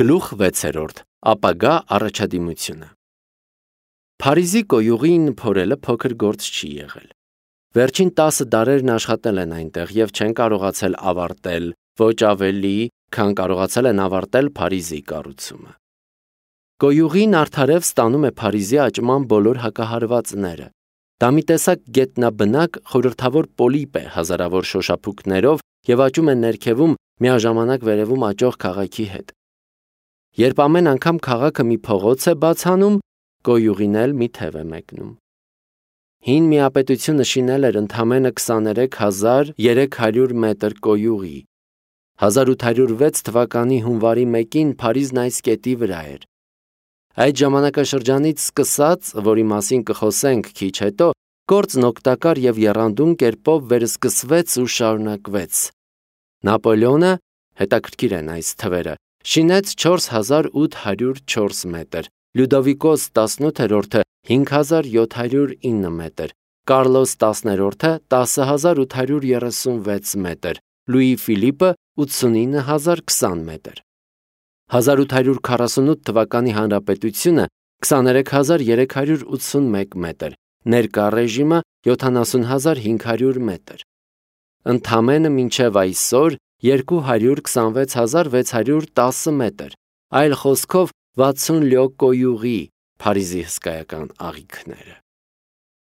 Գլուխ 6. Ապագա առաջադիմությունը։ Փարիզի կոյուղին փորելը փոքր գործ չի եղել։ Վերջին 10 դարերն աշխատել են այնտեղ և չեն կարողացել ավարտել, ոչ ավելի, քան կարողացել են ավարտել Փարիզի կառուցումը։ Կոյուղին արդարև ստանում է Փարիզի աճման բոլոր հակահարվածները։ Դա մի տեսակ գետնաբնակ խորհրդավոր պոլիպ է հազարավոր շոշափուկներով և աճում է ներքևում միաժամանակ վերևում աճող քաղաքի հետ։ Երբ ամեն անգամ քաղաքը մի փողոց է բաց անում, կոյուղին էլ մի թև է մեկնում։ Հին միապետությունը շինել էր ընդամենը 23,300 մետր կոյուղի։ 1806 թվականի հունվարի 1-ին Փարիզն այս կետի վրա էր։ Այդ ժամանակաշրջանից սկսած, որի մասին կխոսենք քիչ հետո, գործն օգտակար և եռանդուն կերպով վերսկսվեց ու շարունակվեց։ Նապոլեոնը, հետաքրքիր են այս թվերը, շինեց 4804 մետր, Լյուդովիկոս 18-րդը 5709 մետր, Կարլոս 10-րդը 10836 մետր, Լուի Ֆիլիպը 89020 մետր։ 1848 թվականի հանրապետությունը 23381 մետր, ներկա ռեժիմը 70500 մետր։ Ընդամենը մինչև այսօր 226610 մետր, այլ խոսքով 60 լյո կոյուղի Փարիզի հսկայական աղիքները։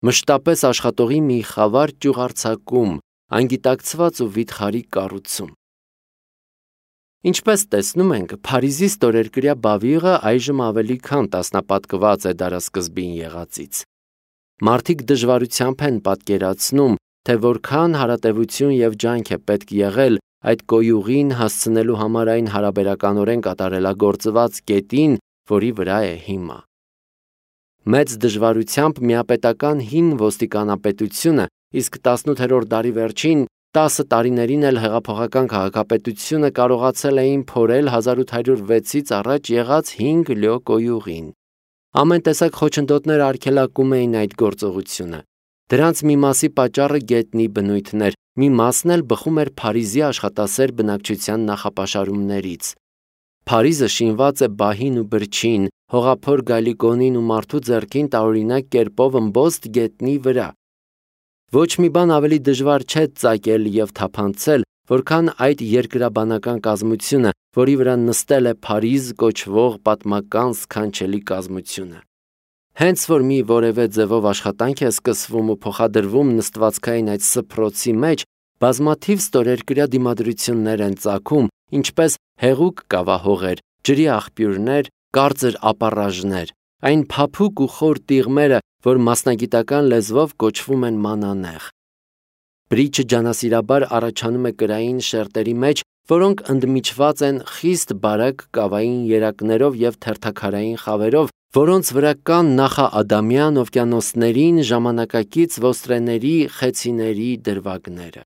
Մշտապես աշխատողի մի խավար ճյուղարձակում, անգիտակցված ու վիթխարի կառուցում։ Ինչպես տեսնում ենք, Փարիզի ստորերկրյա բավիղը այժմ ավելի քան տասնապատկված է դարասկզբին եղածից։ Մարդիկ դժվարությամբ են պատկերացնում, թե որքան հարատևություն և ջանք է պետք եղել այդ կոյուղին հասցնելու համար այն հարաբերականորեն կատարելագործված կետին, որի վրա է հիմա։ Մեծ դժվարությամբ միապետական հին ոստիկանապետությունը, իսկ 18-րդ դարի վերջին 10 տարիներին էլ հեղափոխական քաղաքապետությունը կարողացել էին փորել 1806-ից առաջ եղած 5 լյո կոյուղին։ Ամեն տեսակ խոչընդոտներ արգելակում էին այդ գործողությունը։ Դրանց մի մասի պատճառը գետնի բնույթն էր, մի մասն էլ բխում էր Փարիզի աշխատասեր բնակչության նախապաշարումներից։ Փարիզը շինված է բահին ու բրչին, հողափոր գալիկոնին ու մարդու ձեռքին տարօրինակ կերպով ըմբոստ գետնի վրա։ Ոչ մի բան ավելի դժվար չէ ծագել և թափանցել, որքան այդ երկրաբանական կազմությունը, որի վրա նստել է Փարիզ կոչվող պատմական սքանչելի կազմությունը։ Հենց որ մի որևէ ձևով աշխատանք է սկսվում ու փոխադրվում նստվածքային այդ սփռոցի մեջ, բազմաթիվ ստորերկրյա դիմադրություններ են ծագում, ինչպես հեղուկ կավահողեր, ջրի աղբյուրներ, կարծր ապառաժներ, այն փափուկ ու խոր տիղմերը, որ մասնագիտական լեզվով կոչվում են մանանեխ։ Բրիչը ջանասիրաբար առաջանում է կրային շերտերի մեջ, որոնք ընդմիջված են խիստ բարակ կավային երակներով և թերթաքարային խավերով, որոնց վրա կան նախաադամյան օվկիանոսներին ժամանակակից ոստրեների խեցիների դրվագները։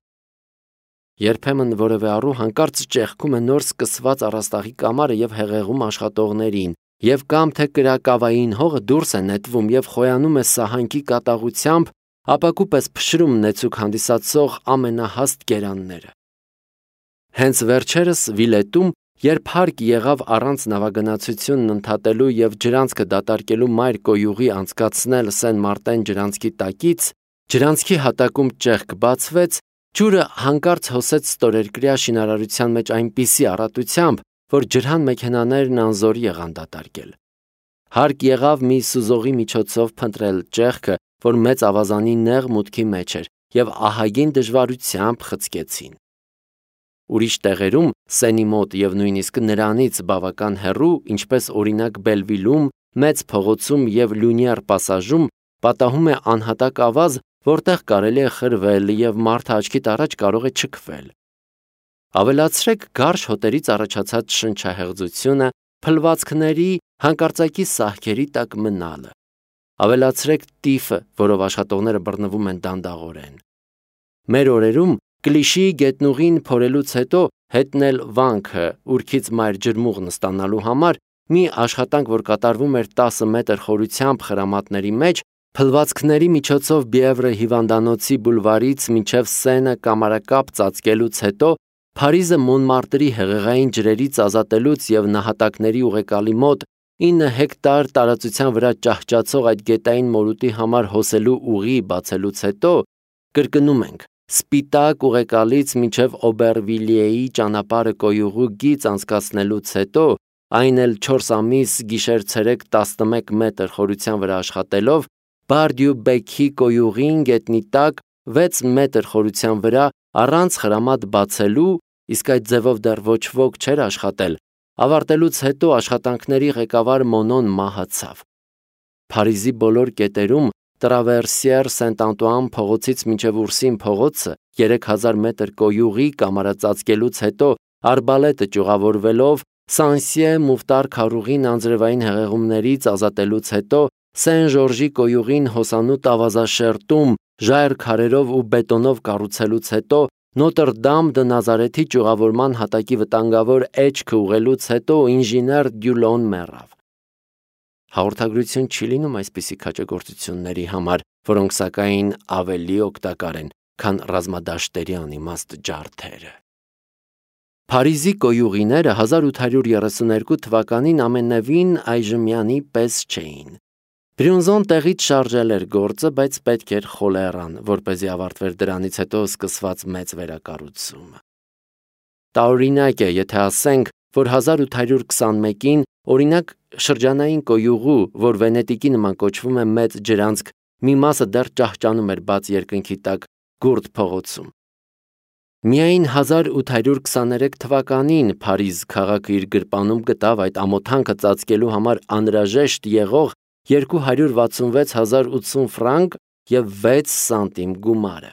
Երբեմն որևէ առու հանկարծ ճեղքում է նոր սկսված առաստաղի կամարը և հեղեղում աշխատողներին, և կամ թե կրակավային հողը դուրս է նետվում և խոյանում է սահանքի կատաղությամբ, ապակու պես փշրում նեցուկ հանդիսացող ամենահաստ գերանները։ Հենց վերջերս Վիլետում, երբ հարկ եղավ առանց նավագնացությունն ընդհատելու և ջրանցքը դատարկելու մայր կոյուղի անցկացնել Սեն Մարտեն ջրանցքի տակից, ջրանցքի հատակում ճեղք բացվեց, ջուրը հանկարծ հոսեց ստորերկրյա շինարարության մեջ այնպիսի առատությամբ, որ ջրհան մեքենաներն անզոր եղան դատարկել։ Հարկ եղավ մի սուզողի միջոցով փնտրել ճեղքը, որ մեծ ավազանի նեղ մուտքի մեջ էր, և ահագին դժվարությամբ խցկեցին։ Ուրիշ տեղերում, Սենի մոտ և նույնիսկ նրանից բավական հեռու, ինչպես օրինակ Բելվիլում, Մեծ փողոցում և Լյունիեր պասաժում, պատահում է անհատակ ավազ, որտեղ կարելի է խրվել և մարդը աչքիդ առաջ կարող է չքվել։ Ավելացրեք գարշ հոտերից առաջացած շնչահեղձությունը, փլվածքների, հանկարծակի սահքերի տակ մնալը։ Ավելացրեք տիֆը, որով աշխատողները բռնվում են դանդաղորեն։ Մեր օրերում Կլիշիի գետնուղին փորելուց հետո հետնել վանքը ուրքից մայր ջրմուղն ստանալու համար մի աշխատանք, որ կատարվում էր 10 մետր խորությամբ խրամատների մեջ, փլվածքների միջոցով Բիևրե հիվանդանոցի բուլվարից մինչև Սենը կամարակապ ծածկելուց հետո Փարիզը Մոնմարտրի հեղեղային ջրերից ազատելուց եւ նահատակների ուղեկալի մոտ 9 հեկտար տարածության վրա ճահճացող այդ գետային մորուտի համար հոսելու ուղի բացելուց հետո, կրկնում ենք, սպիտակ ուղեկալից մինչև Օբերվիլիեի ճանապարհը կոյուղու գիծ անցկացնելուց հետո, այն էլ 4 ամիս գիշեր-ցերեկ 11 մետր խորության վրա աշխատելով, Բարդյու-Բեքի կոյուղին գետնի տակ 6 մետր խորության վրա առանց խրամատ բացելու, իսկ այդ ձևով դեռ ոչ ոք չէր աշխատել, ավարտելուց հետո աշխատանքների ղեկավար Մոնոն մահացավ։ Փարիզի բոլոր կետերում Տրավերսիեր Սենտ-Անտուան փողոցից մինչև Ուրսին փողոցը 3000 մետր կոյուղի կամարածածկելուց հետո արբալետը ճյուղավորվելով Սանսիե Մուֆտար քարուղին անձրևային հեղեղումներից ազատելուց հետո Սեն-Ժորժի կոյուղին հոսանոտ ավազաշերտում ժայռ քարերով ու բետոնով կառուցելուց հետո Նոտր-Դամ դը Նազարեթի ճյուղավորման հատակի վտանգավոր էջքը ուղղելուց հետո ինժեներ Դյուլոն մեռավ։ Հաղորդագրություն չի լինում այսպիսի քաջագործությունների համար, որոնք սակայն ավելի օգտակար են, քան ռազմադաշտերի անիմաստ ջարդերը։ Փարիզի կոյուղիները 1832 թվականին ամենևին այժմյանի պես չէին։ Բրյունզոն տեղից շարժել էր գործը, բայց պետք էր խոլերան, որպեսզի ավարտվեր դրանից հետո սկսված մեծ վերակառուցումը։ Տարօրինակ է, եթե ասենք, որ 1821-ին օրինակ շրջանային կոյուղու, որ Վենետիկի նման կոչվում է Մեծ ջրանցք, մի մասը դեռ ճահճանում էր բաց երկնքի տակ Գուրդ փողոցում։ Միայն 1823 թվականին Փարիզ քաղաքը իր գրպանում գտավ այդ ամոթանքը ծածկելու համար անհրաժեշտ եղող 266,080 ֆրանկ և 6 սանտիմ գումարը։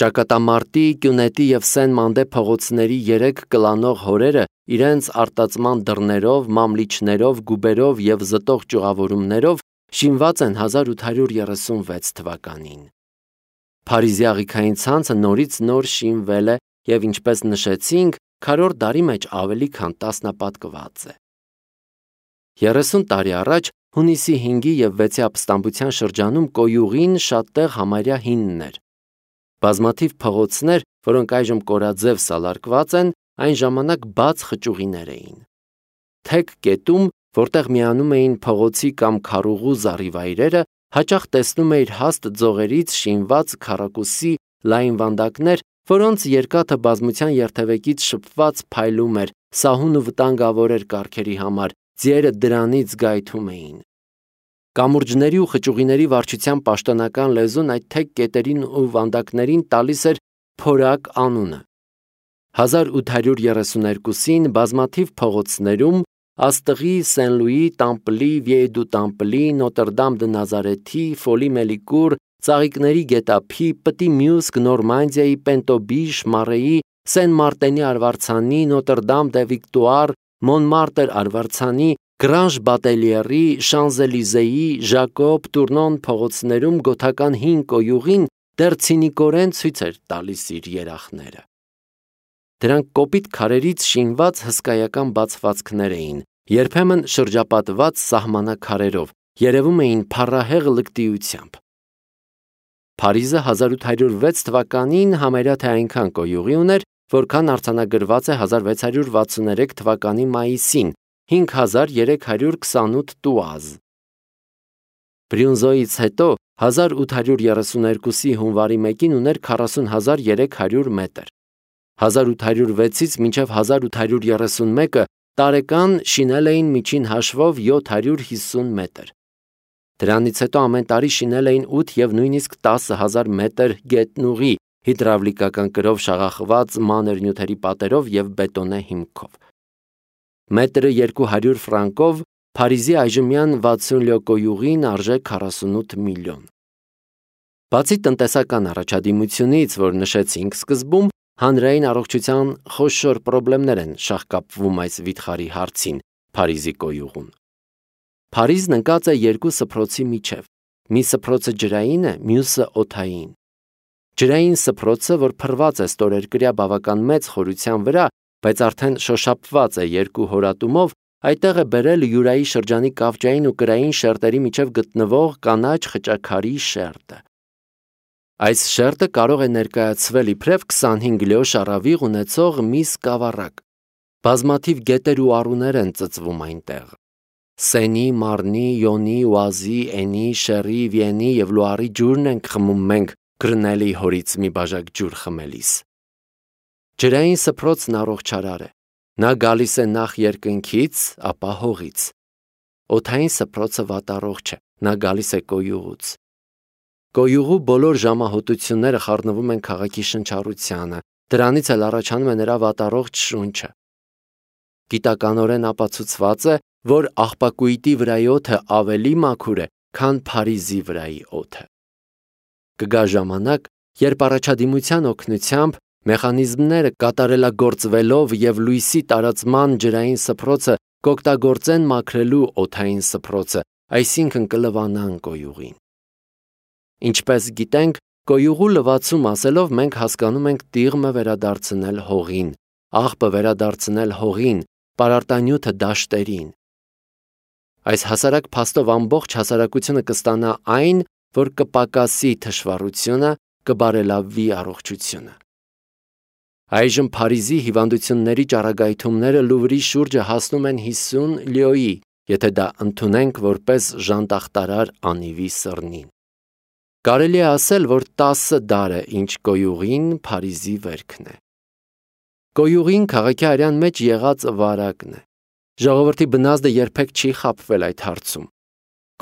Ճակատամարտի, Կյունետի և Սեն-Մանդե փողոցների 3 կլանող հորերը իրենց արտածման դռներով, մամլիչներով, գուբերով և զտող ճյուղավորումներով շինված են 1836 թվականին։ Փարիզի աղիքային ցանցը նորից նոր շինվել է և ինչպես նշեցինք, քառորդ դարի մեջ ավելի քան տասնապատկված է։ 30 տարի առաջ հունիսի 5-ի և 6-ի ապստամբության շրջանում կոյուղին շատ տեղ համարյա հինն էր։ Բազմաթիվ փողոցներ, որոնք այժմ կորաձև սալարկված են, այն ժամանակ բաց խճուղիներ էին։ Թեք կետում, որտեղ միանում էին փողոցի կամ քարուղու զառիվայրերը, հաճախ տեսնում էիր հաստ ձողերից շինված քառակուսի լայն վանդակներ, որոնց երկաթը բազմության երթևեկից շփված փայլում էր, սահուն ու վտանգավոր էր կառքերի համար, ձիերը դրանից գայթում էին։ Կամուրջների ու խճուղիների վարչության պաշտոնական լեզուն այդ թեք կետերին ու վանդակներին տալիս էր փորակ անունը։ 1832-ին բազմաթիվ փողոցներում Աստղի, Սեն-Լուի, Տամպլի, Վիեյ դու Տամպլի, Նոտր-Դամ դը Նազարեթի, Ֆոլի Մելիկուր, Ծաղիկների գետափի, Պտի Մյուսկ, Նորմանդիայի, Պենտոբիշ, Մարեի, Սեն-Մարտենի արվարձանի, Նոտր-Դամ դե Վիկտուար, Մոնմարտր արվարձանի, Գրանժ Բատելիերի, Շանզելիզեի, Ժակոբ, Տուրնոն փողոցներում գոթական հին կոյուղին դեռ ցինիկորեն ցույց էր տալիս իր երախները։ Դրանք կոպիտ քարերից շինված հսկայական բացվածքներ էին, երբեմն շրջապատված սահմանակարերով, երևում էին փառահեղ լկտիությամբ։ Փարիզը 1806 թվականին համարյա թե այնքան կոյուղի ուներ, որքան արձանագրված է 1663 թվականի մայիսին, 5328 տուազ։ Բրյունզոյից հետո 1832-ի հունվարի 1-ին ուներ 40300 մետր։ 1806-ից մինչև 1831-ը տարեկան շինել էին միջին հաշվով 750 մետր։ Դրանից հետո ամեն տարի շինել էին 8 և նույնիսկ 10,000 մետր գետնուղի հիդրավլիկական կրով շաղախված մանր նյութերի պատերով և բետոնե հիմքով։ Մետրը 200 ֆրանկով Փարիզի այժմյան 60 լյոկոյուղին արժե 48 միլիոն։ Բացի տնտեսական առաջադիմությունից, որ նշեցինք սկզբում, հանրային առողջության խոշոր պրոբլեմներ են շաղկապվում այս վիթխարի հարցին Փարիզի կոյուղում։ Փարիզն ընկած է երկու սփռոցի միջև, մի սփռոցը ջրային է, մյուսը օդային։ Ջրային սփռոցը, որ փռված է ստորերկրյա բավական մեծ խորության վրա, բայց արդեն շոշափված է երկու հորատումով, այդտեղ է բերել Յուրայի շրջանի կավճային ու կրային շերտերի միջև գտնվող կանաչ խճաքարի շերտը։ Այս շերտը կարող է ներկայացվել իբրև 25 լյոշ առավիղ ունեցող մի սկավառակ։ Բազմաթիվ գետեր ու առուներ են ծծվում այնտեղ։ Սենի, Մարնի, Յոնի, Ուազի, Էնի, Շերի, Վիենի եւ Լուարի ջուրն ենք խմում մենք Գրնելի հորից մի բաժակ ջուր խմելիս։ Ջրային սփռոցն առողջարար է։ Նա գալիս է նախ երկնքից, ապա հողից։ Օդային սփռոցը վատառողջ է, նա գալիս է կոյուղուց։ Կոյուղու բոլոր ժամահոտությունները խառնվում են քաղաքի շնչառությանը, դրանից էլ առաջանում է նրա վատառողջ շունչը։ Գիտականորեն ապացուցված է, որ աղբակույտի վրայի օդը ավելի մաքուր է, քան Փարիզի վրայի օդը։ Կգա ժամանակ, երբ առաջադիմության օգնությամբ մեխանիզմները կատարելագործվելով եւ լույսի տարածման ջրային սփռոցը կօգտագործեն մաքրելու օդային սփռոցը, այսինքն կլվանան կոյուղին։ Ինչպես գիտենք, կոյուղու լվացում ասելով մենք հասկանում ենք տիղմը վերադարձնել հողին, աղբը վերադարձնել հողին, պարարտանյութը դաշտերին։ Այս հասարակ փաստով ամբողջ հասարակությունը կստանա այն, որ կպակասի թշվառությունը, կբարելավվի առողջությունը։ Այժմ Փարիզի հիվանդությունների ճառագայթումները Լուվրի շուրջը հասնում են 50 լյոյի, եթե դա ընդունենք որպես ժանտախտարար անիվի սռնին։ Կարելի է ասել, որ 10 դար է, ինչ կոյուղին Փարիզի վերքն է։ Կոյուղին քաղաքի արյան մեջ եղած վարակն է։ Ժողովրդի բնազդը երբեք չի խաբվել այդ հարցում։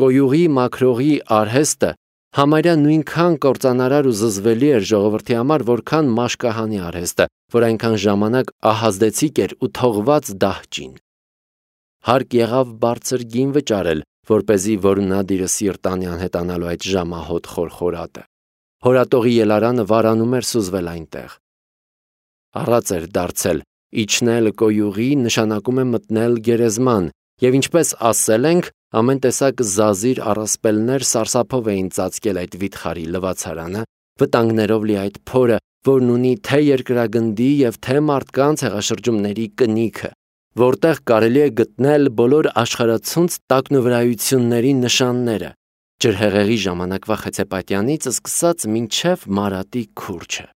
Կոյուղի մաքրողի արհեստը համարյա նույնքան կործանարար ու զզվելի էր ժողովրդի համար, որքան մաշկահանի արհեստը, որ այնքան ժամանակ ահազդեցիկ էր ու թողված դահճին։ Հարկ եղավ բարձր գին վճարել, որպեսզի որունադիրը սիրտանի անհետանալու այդ ժամահոտ խորխորատը։ Հորատողի ելարանը վարանում էր սուզվել այնտեղ։ Առած էր դարձել, իջնել կոյուղի նշանակում է մտնել գերեզման, եւ ինչպես ասել ենք, ամեն տեսակ զազիր առասպելներ սարսափով էին ծածկել այդ վիթխարի լվացարանը, վտանգներով լի այդ փորը, որն ունի թե երկրագնդի եւ թե մարդկանց հեղաշրջումների կնիքը, որտեղ կարելի է գտնել բոլոր աշխարհացունց տակնուվրայությունների նշանները, ջրհեղեղի ժամանակվա Խեցեպատյանից սկսած մինչև Մարատի քուրչը։